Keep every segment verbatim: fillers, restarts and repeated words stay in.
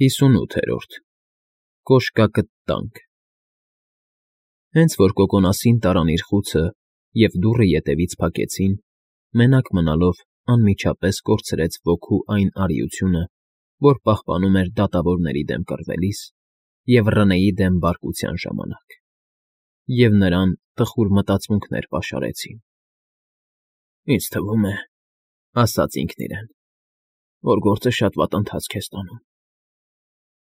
ՀԻՍՈՒՆՈՒԹԵՐՈՐԴ ԿՈՇԿԱԿԸ ՏԱՆՔ Հենց որ Կոկոնասին տարան իր խուցը և դուռը ետևից փակեցին, մենակ մնալով անմիջապես կորցրեց ոգու այն արիությունը, որ պահպանում էր դատավորների դեմ կռվելիս և Ռնեի դեմ բարկության ժամանակ, և նրան տխուր մտածմունքներ պաշարեցին։ «Ինձ թվում է,֊ ասաց ինքն իրեն,֊ որ գործը շատ վատ ընթացք է ստանում։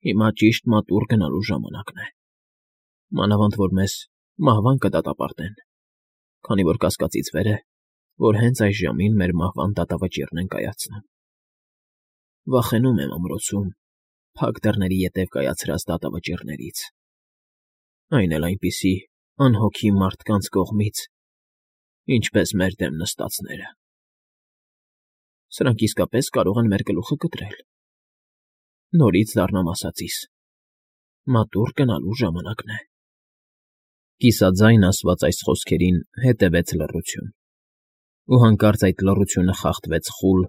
Հիմա ճիշտ մատուռ գնալու ժամանակն է, մանավանդ որ մեզ մահվան կդատապարտեն, քանի որ կասկածից վեր է, որ հենց այս ժամին մեր մահվան դատավճիռն են կայացնում։ Վախենում եմ ամրոցում փակ դռների ետև կայացրած դատավճիռներից, այն էլ այնպիսի անհոգի մարդկանց կողմից, ինչպես մեր դեմ նստածները։ Սրանք իսկապես կարող են մեր գլուխը կտրել։ Նորից դառնամ ասածիս. մատուռ գնալու ժամանակն է»։ Կիսաձայն ասված այս խոսքերին հետևեց լռություն, ու հանկարծ այդ լռությունը խախտվեց խուլ,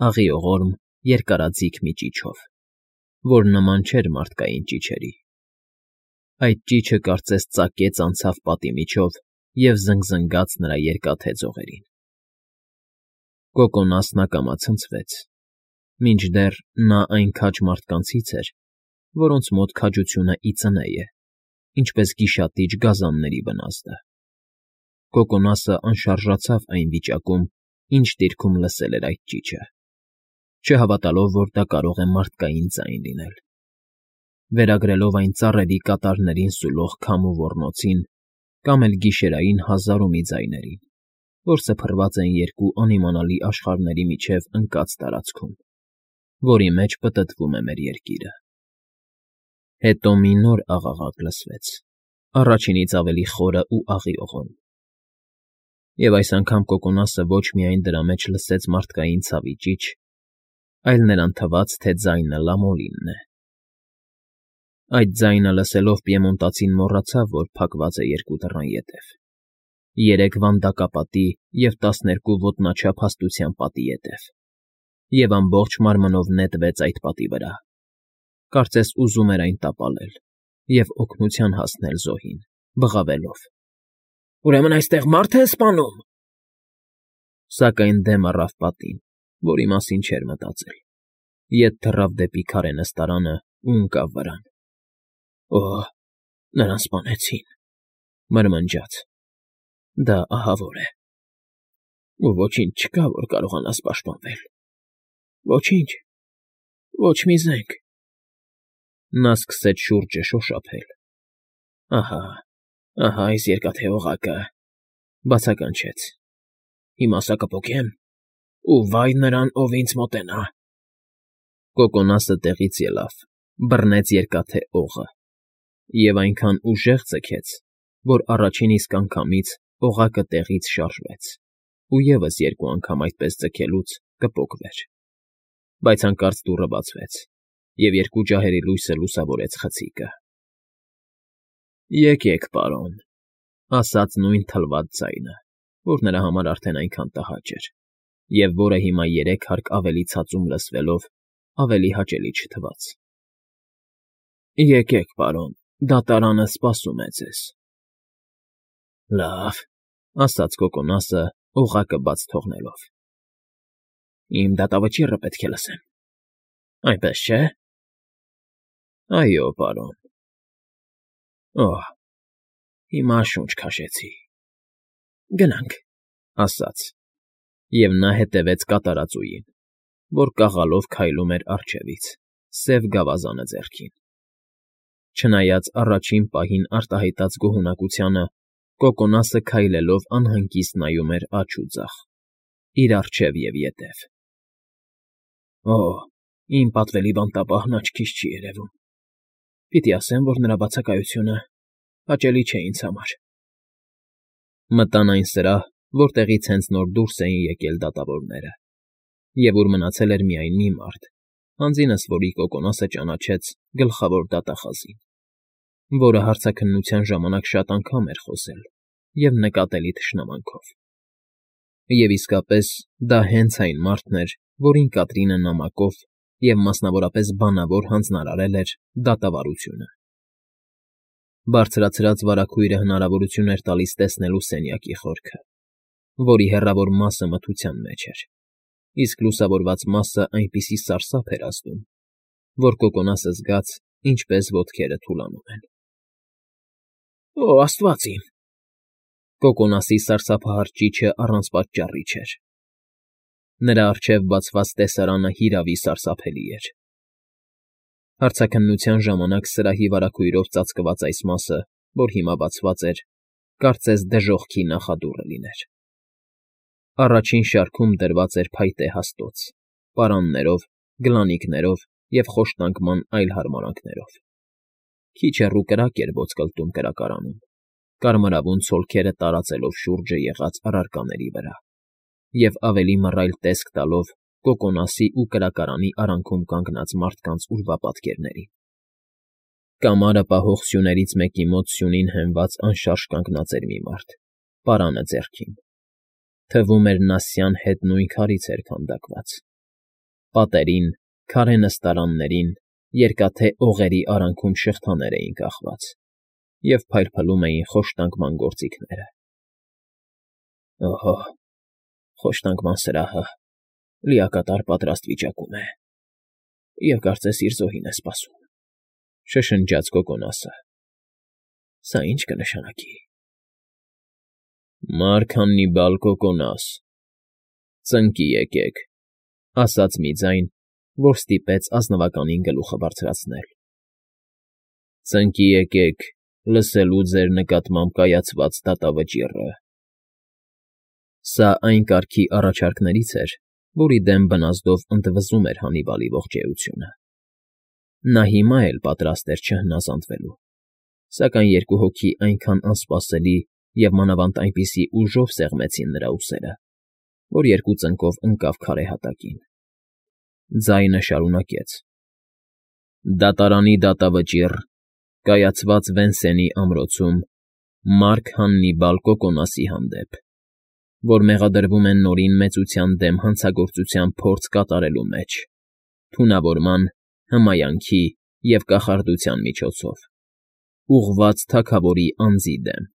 աղիողորմ, երկարաձիգ մի ճիչով, որ նման չէր մարդկային ճիչերի։ Այդ ճիչը կարծես ծակեց անցավ պատի միջով և զնգզնգաց նրա երկաթե ձողերին։ Կոկոնասն ակամա ցնցվեց, մինչդեռ նա այն քաջ մարդկանցից էր, որոնց մոտ քաջությունը ի ծնե է, ինչպես գիշատիչ գազանների վնասը։ Կոկոնասը անշարժացավ այն վիճակում, ինչ դիրքում լսել էր այդ ճիչը, չհավատալով, որ դա կարող է մարդկային ձայն լինել։ Վերագրելով այն ծառերի կատարներին սուլող քամու ոռնոցին կամ էլ գիշերային հազար ու մի ձայներին, որ սփռված են երկու անիմանալի աշխարհների միջև ընկած տարածքում, որի մեջ պտտվում է մեր երկիրը։ Հետո մի նոր աղաղակ լսվեց, առաջինից ավելի խորը ու աղիողորմ։ Եվ այս անգամ Կոկոնասը ոչ միայն դրա մեջ լսեց մարդկային ցավի ճիչ, այլ նրան թվաց, թե ձայնը լամոլինն է։ Այդ ձայնը լսելով պիեմոնտացին մոռացավ, որ փակված է երկու դռան ետև, երեք վանդակապատի և տասներկու ոտնաչափ հաստության պատի ետև, և ամբողջ մարմնով նետվեց այդ պատի վրա, կարծես ուզում էր այն տապալել և օգնության հասնել զոհին, բղավելով. «Ուրեմն այստեղ մարդ է սպանում»։ Սակայն դեմ առավ պատին, որի մասին չէր մտածել, ետ թռավ դեպի քարե նստարանը ու ընկավ վրան։ «Օհ, նրան սպանեցին»,֊ մրմնջաց. «դա ահավոր է։ Ու ոչինչ չկա, որ կարողանաս պաշտպանվել։ Ոչինչ, ոչ մի զենք»։ Նա սկսեց շուրջը շոշափել։ «Ահա, ահա այս երկաթե օղակը», բացականչեց։ «Հիմա սա կփոկեմ, ու վայ նրան, ով ինձ մոտենա»։ Կոկոնասը տեղից ելավ, բռնեց երկաթե օղը և այնքան ուժեղ ձգեց, որ առաջին իսկ անգամից օղակը տեղից շարժվեց ու ևս երկու անգամ այդպես ձգելուց կպոկվեր։ Բայց հանկարծ դուռը բացվեց, և երկու ջահերի լույսը լուսավորեց խցիկը։ «Եկեք, պարոն», ասաց նույն թլված ձայնը, որ նրա համար արդեն այնքան տհաճ էր, և որը հիմա երեք հարկ ավելի ցածում լսվելով ավելի հաճելի չթվաց։ «Եկեք, պարոն, դատարանը սպասում է ձեզ»։ «Լավ», ասաց Կոկոնասը, օղակը բաց թողնելով։ «Իմ դատավճիռը պետք է լսեմ, այնպես չէ՞»։ «Այո, պարոն»։ «Օհ, հիմա շունչ քաշեցի»։ «Գնանք», ասաց, և նա հետևեց կատարածուին, որ կաղալով քայլում էր առջևից, սև գավազանը ձեռքին։ Չնայած առաջին պահին արտահայտած գոհունակությանը, Կոկոնասը քայլելով անհանգիստ նայում էր աջ ու ձախ, իր առջև և ետև։ «Օհ, իմ պատվելի բանտապահն աչքիս չի երևում։ Պիտի ասեմ, որ նրա բացակայությունը հաճելի չէ ինձ համար»։ Մտան այն սրահ, որտեղից հենց նոր դուրս էին եկել դատավորները, և ուր մնացել էր միայն մի մարդ, հանձինս որի Կոկոնասը ճանաչեց գլխավոր դատախազին, որը հարցաքննության ժամանակ շատ անգամ էր խոսել և նկատելի թշնամանքով։ Եվ իսկապես դա հենց այն մարդն էր, որին Կատրինը նամակով և մասնավորապես բանավոր հանձնարարել էր դատավարությունը։ Բարձրացրած վարագույրը հնարավորություն էր տալիս տեսնելու սենյակի խորքը, որի հեռավոր մասը մթության մեջ էր, իսկ լուսավորված մասը այնպիսի սարսափ էր ազդում, որ Կոկոնասը զգաց, ինչպես ոտքերը թուլանում են։ «Օ, աստված իմ…» Կոկոնասի սարսափահար ճիչը առանց պատճառի չէր։ Նրա առջև բացված տեսարանը հիրավի սարսափելի էր։ Հարցաքննության ժամանակ սրահի վարագույրով ծածկված այս մասը, որ հիմա բացված էր, կարծես դժոխքի նախադուռը լիներ։ Առաջին շարքում դրված էր փայտե հաստոց՝ պարաններով, գլանիկներով և խոշտանգման այլ հարմարանքներով։ Քիչ հեռու կրակ էր ոսկլտում կրակարանում, կարմրավուն ցոլքերը տարածելով շուրջը եղած առարկաների վրա և ավելի մռայլ տեսք տալով Կոկոնասի ու կրակարանի արանքում կանգնած մարդկանց ուրվապատկերներին։ Կամարը պահող սյուներից մեկի մոտ սյունին հենված անշարժ կանգնած էր մի մարդ, պարանը ձեռքին։ Թվում էր նա սյան հետ նույն քարից էր քանդակված։ Պատերին, քարե նստարաններին, երկաթե օղերի արանքում շղթաներ էին կախված, և փայլփլում էին խոշտանգման գործիքները։ «Օհո, խոշտանգման սրահը լիակատար պատրաստ վիճակում է, և կարծես իր զոհին է սպասում»,֊ շշնջաց Կոկոնասը։ «Սա ի՞նչ կնշանակի»։ «Մարք Հաննիբալ Կոկոնաս, ծնկի եկեք», ասաց մի ձայն, որ ստիպեց ազնվականին գլուխը բարձրացնել։ «Ծնկի եկեք լսելու ձեր նկատմամբ կայացված դատավճիռը»։ Սա այն կարգի առաջարկներից էր, որի դեմ բնազդով ընդվզում էր Հաննիբալի ողջերությունը։ Նա հիմա էլ պատրաստ էր չհնազանդվելու, սակայն երկու հոգի այնքան անսպասելի և մանավանդ այնպիսի ուժով սեղմեցին նրա ուսերը, որ երկու ծնկով ընկավ քարե հատակին։ Ձայնը շարունակեց. «Դատարանի դատավճիռ, կայացված Վենսենի ամրոցում Մարք Հաննիբալ Կոկոնասի հանդեպ, որ մեղադրվում է Նորին Մեծության դեմ հանցագործության փորձ կատարելու մեջ, թունավորման, հմայանքի և կախարդության միջոցով, ուղղված թագավորի անձի դեմ,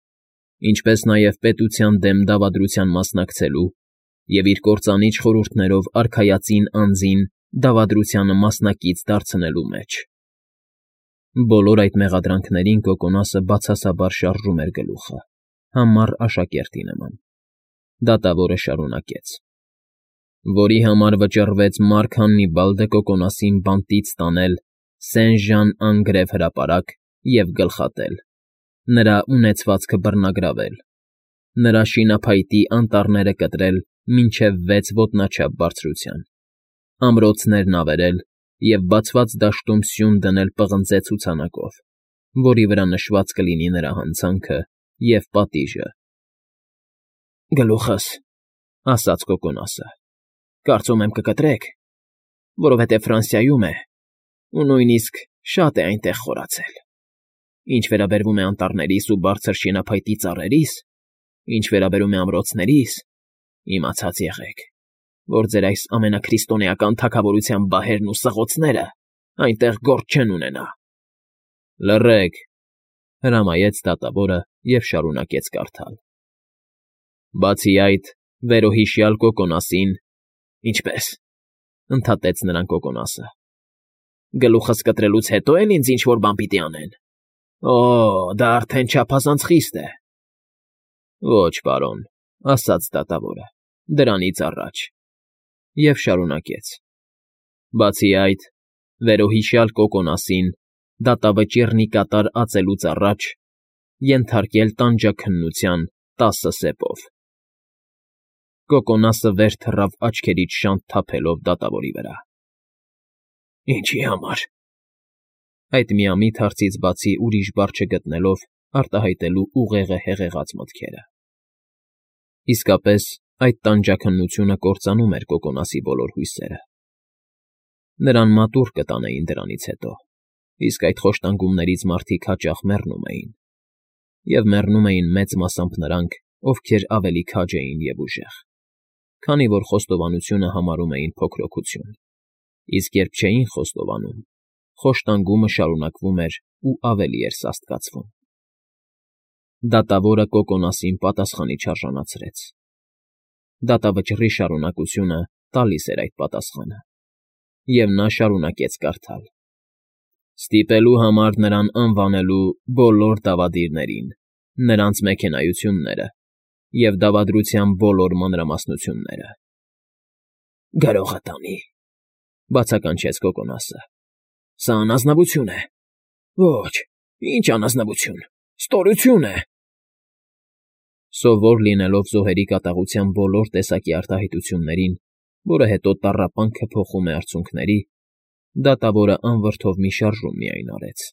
ինչպես նաև պետության դեմ դավադրության մասնակցելու և իր կործանիչ խորհուրդներով արքայածին անձին դավադրությանը մասնակից դարձնելու մեջ»։ Բոլոր այդ մեղադրանքներին Կոկոնասը բացասաբար շարժում էր գլուխը, համառ աշակերտի նման։ Դատավորը շարունակեց. «Որի համար վճռվեց Մարք Հաննիբալ դը Կոկոնասին բանտից տանել Սեն֊Ժան֊Անգրև հրապարակ և գլխատել, նրա ունեցվածքը բռնագրավել, նրա շինափայտի անտառները կտրել մինչև վեց ոտնաչափ բարձրության, ամրոցներն ավերել և բացված դաշտում սյուն դնել պղնձե ցուցանակով, որի վրա նշված կլինի նրա հանցանքը և պատիժը»։ «Գլուխս,֊ ասաց Կոկոնասը,֊ կարծում եմ կկտրեք, որովհետև Ֆրանսիայում է ու նույնիսկ շատ է այնտեղ խորացել։ Ինչ վերաբերում է անտառներիս ու բարձր շինափայտի ծառերիս, ինչ վերաբերում է ամրոցներիս, իմացած եղեք, որ ձեր այս ամենաքրիստոնեական թագավորության բահերն ու սղոցները այնտեղ գործ չեն ունենա»։ «Լռեք,֊ հրամայեց դատավորը և շարունակեց կարդալ. «Բացի այդ, վերոհիշյալ Կոկոնասին…» «Ինչպե՞ս,֊ ընդհատեց նրան Կոկոնասը,֊ գլուխս կտրելուց հետո էլ ինձ ինչ֊որ բան պիտի անեն։ Օ, դա արդեն չափազանց խիստ է»։ «Ոչ, պարոն,֊ ասաց դատավորը,֊ դրանից առաջ…» և շարունակեց. «Բացի այդ, վերոհիշյալ Կոկոնասին դատավճիռն ի կատար ածելուց առաջ ենթարկել տանջաքննության տասը սեպով»։ Կոկոնասը վեր թռավ աչքերից շանթ թափելով դատավորի վրա։ «Ինչի համար…» Այդ միամիտ հարցից բացի ուրիշ բառ չգտնելով արտահայտելու ուղեղը հեղեղած մտքերը։ Իսկապես, այդ տանջաքննությունը կործանում էր Կոկոնասի բոլոր հույսերը։ Նրան մատուռ կտանեին դրանից հետո, իսկ այդ խոշտանգումներից մարդիկ հաճախ մեռնում էին, և մեռնում էին մեծ մասամբ նրանք, ովքեր ավելի քաջ էին և ուժեղ, քանի որ խոստովանությունը համարում էին փոքրօգություն։ Իսկ երբ չէին խոստովանում, խոշտանգումը շարունակվում էր ու ավելի էր սաստկացվում։ Դատավորը Կոկոնասին պատասխանի չարժանացրեց։ Դատավճռի շարունակությունը տալիս էր այդ պատասխանը, և նա շարունակեց կարդալ. «Ստիպելու համար նրան անվանելու բոլոր դավադիրներին նրանց մեքենայությունները և դավադրության բոլոր մանրամասնությունները»։ ֊ Գրողը տանի,֊ բացականչեց Կոկոնասը։֊ Սա անազնվություն է։ Ոչ, ինչ անազնվություն, ստորություն է… Սովոր լինելով զոհերի կատաղության բոլոր տեսակի արտահայտություններին, որը հետո տառապանքը փոխում է արցունքների, դատավորը անվրդով մի շարժում միայն արեց։